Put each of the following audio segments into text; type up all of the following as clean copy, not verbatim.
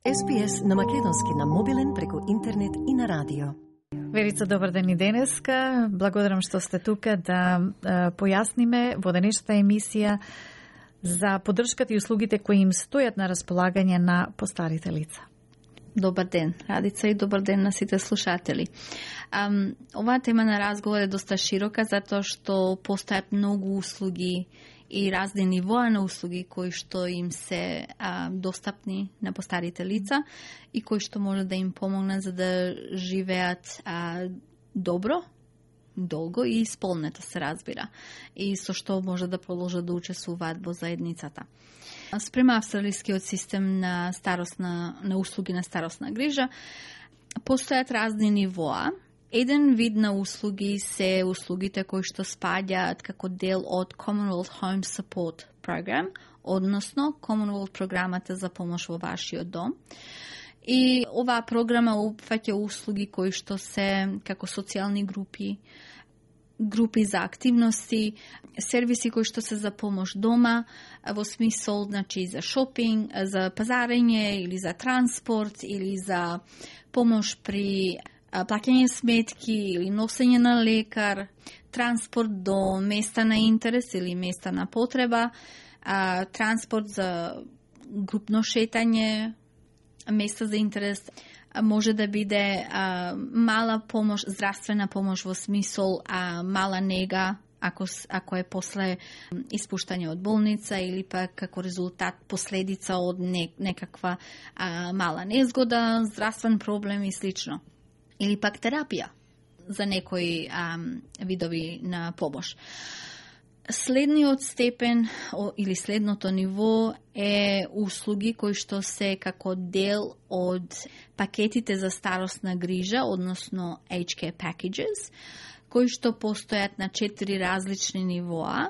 SPS на македонски на мобилен преку интернет и на радио. Верица, добар ден и денеска. Благодарам што сте тука да појасниме во денешната емисија за поддршката и услугите кои им стојат на располагање на постарите лица. Добар ден, Радица, и добар ден на сите слушатели. Оваа тема на разговор е доста широка, затоа што постојат многу услуги и разни нивоа на услуги кои што им се достапни на постарите лица и кои што може да им помогнат за да живеат добро, долго и исполнето, се разбира, и со што може да продолжат да учествуваат во заедницата. Спрема австралискиот систем на на услуги на старосна грижа, постојат разни нивоа. Еден вид на услуги се услугите кои што спаѓаат како дел од Commonwealth Home Support Program, односно Commonwealth програмата за помош во вашиот дом. И оваа програма опфаќа услуги кои што се како социјални групи за активности, сервиси кои што се за помош дома, во смисол, значи, за шопинг, за пазарење или за транспорт или за помош при плаќање сметки или носење на лекар, транспорт до места на интерес или места на потреба, транспорт за групно шетање, места за интерес, може да биде мала помош, здравствена помош во смисол мала нега, ако е после испуштање од болница или пак како резултат последица од некаква мала незгода, здравствен проблем и слично. Или пак терапија за некои видови на помош. Следниот степен или следното ниво е услуги кои што се како дел од пакетите за старосна грижа, односно aged care packages, кои што постојат на 4 различни нивоа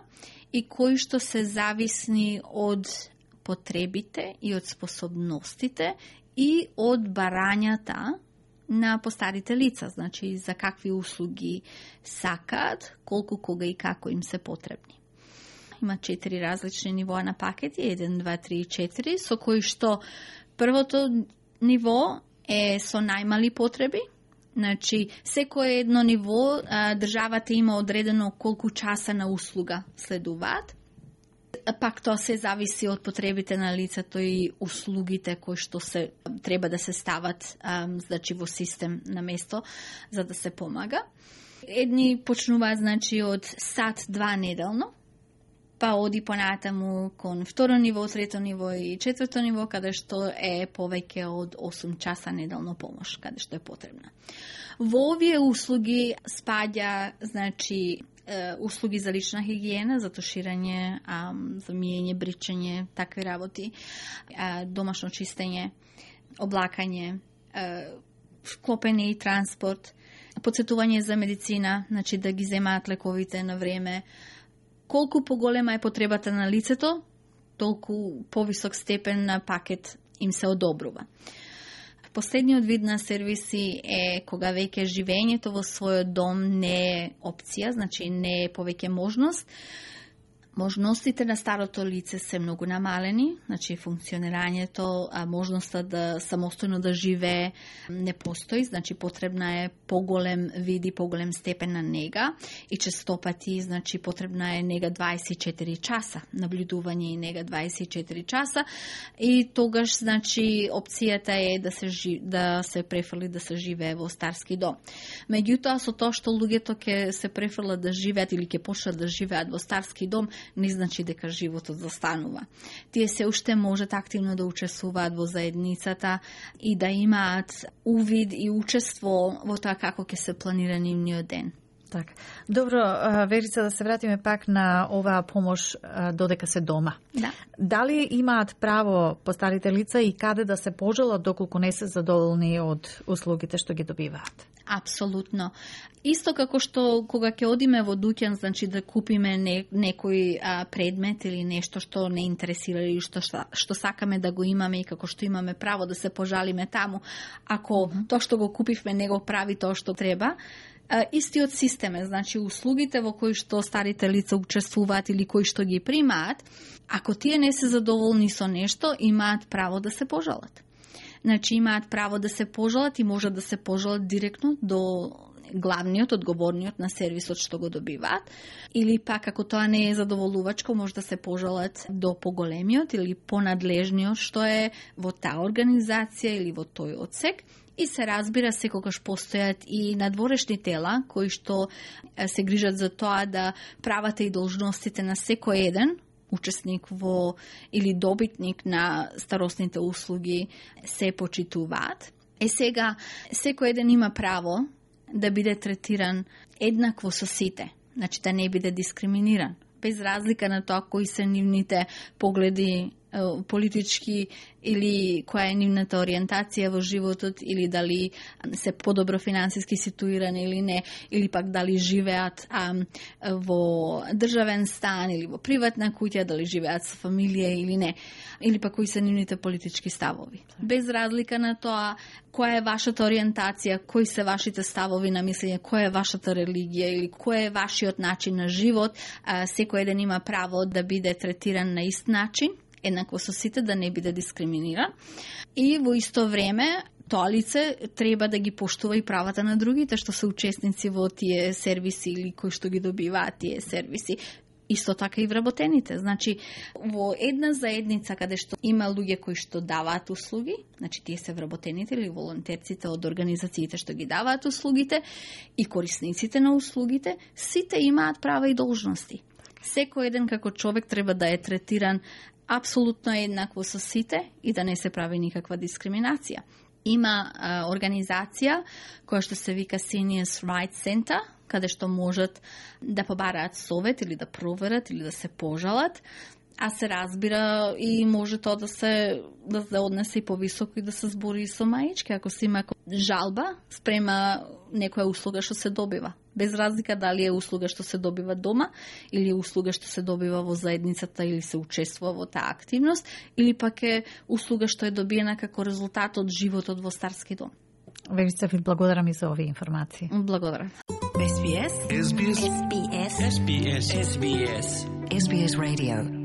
и кои што се зависни од потребите и од способностите и од барањата на постарите лица, значи за какви услуги сакаат, колку, кога и како им се потребни. Има 4 различни нивоа на пакети, 1, 2, 3 и 4, со кои што првото ниво е со најмали потреби, значи секое едно ниво државата има одредено колку часа на услуга следуваат. Пак тоа се зависи од потребите на лицето и услугите кои што се треба да се стават значи во систем на место за да се помага. Едни почнуваат значи од сат-два неделно, па оди понатаму кон второ ниво, трето ниво и четврто ниво, каде што е повеќе од 8 часа неделно помош, каде што е потребна. Во овие услуги спаѓа значи услуги за лична хигиена, за туширање, за миење, бричење, такви работи, домашно чистење, облакање, клопење и транспорт, подсетување за медицина, значи да ги земаат лековите на време. Колку поголема е потребата на лицето, толку повисок степен на пакет им се одобрува. Последниот вид на сервиси е кога веќе живењето во својот дом не е опција, значи не е повеќе можност. Можностите на старото лице се многу намалени, значи функционирањето, можноста да самостојно да живее не постои, значи потребна е поголем вид и поголем степен на нега и честопати, значи потребна е нега 24 часа, наблюдување и нега 24 часа и тогаш значи опцијата е да се префрли да се живее во старски дом. Меѓутоа со тоа што луѓето ќе се префрлат да живеат или ќе почнат да живеат во старски дом, не значи дека животот застанува. Тие се уште можат активно да учествуваат во заедницата и да имаат увид и учество во тоа како ќе се планира нивниот ден. Така. Добро, Верица, да се вратиме пак на оваа помош додека се дома. Да. Дали имаат право постарите лица и каде да се пожалат доколку не се задоволни од услугите што ги добиваат? Апсолутно. Исто како што кога ќе одиме во дуќан, значи да купиме некој предмет или нешто што не интересира или што сакаме да го имаме и како што имаме право да се пожалиме таму, ако тоа што го купивме не го прави тоа што треба, истиот систем е, значи услугите во кои што старите лица учествуваат или кои што ги примаат, ако тие не се задоволни со нешто, имаат право да се пожалат. Значи имаат право да се пожалат и можат да се пожалат директно до главниот, одговорниот на сервисот што го добиваат, или пак ако тоа не е задоволувачко, може да се пожалат до поголемиот или понадлежниот што е во таа организација или во тој одсек. И се разбира, секогаш постојат и надворешни тела кои што се грижат за тоа да правата и должностите на секој еден учесник во или добитник на старосните услуги се почитуваат. Сега, секој еден има право да биде третиран еднакво со сите, значи да не биде дискриминиран, без разлика на тоа кои се нивните погледи политички или која е нивната ориентација во животот, или дали се подобро финансиски ситуирани или не, или пак дали живеат во државен стан или во приватна куќа, дали живеат со фамилија или не, или пак кои се нивните политички ставови. Без разлика на тоа која е вашата ориентација, кои се вашите ставови на мислење, која е вашата религија или кој е вашиот начин на живот, секој еден има право да биде третиран на ист начин, еднакво со сите, да не биде дискриминиран. И во исто време тоа лице треба да ги поштува и правата на другите што се учесници во тие сервиси или кои што ги добиваат тие сервиси. Исто така и вработените. Значи, во една заедница каде што има луѓе кои што даваат услуги, значи тие се вработените или волонтерците од организациите што ги даваат услугите и корисниците на услугите, сите имаат права и должности. Секој еден како човек треба да е третиран апсолутно еднакво со сите и да не се прави никаква дискриминација. Има организација која што се вика Seniors Rights Center, каде што можат да побараат совет или да проверат или да се пожалат, а се разбира и може тоа да се однесе и повисоко и да се збори со маички, ако се има жалба спрема некоја услуга што се добива. Без разлика дали е услуга што се добива дома или е услуга што се добива во заедницата или се учествува во таа активност, или пак е услуга што е добиена како резултат од животот во старски дом. Верица, ви благодарам и за овие информации. Благодарам. SBS. SBS. SBS. SBS. SBS Radio.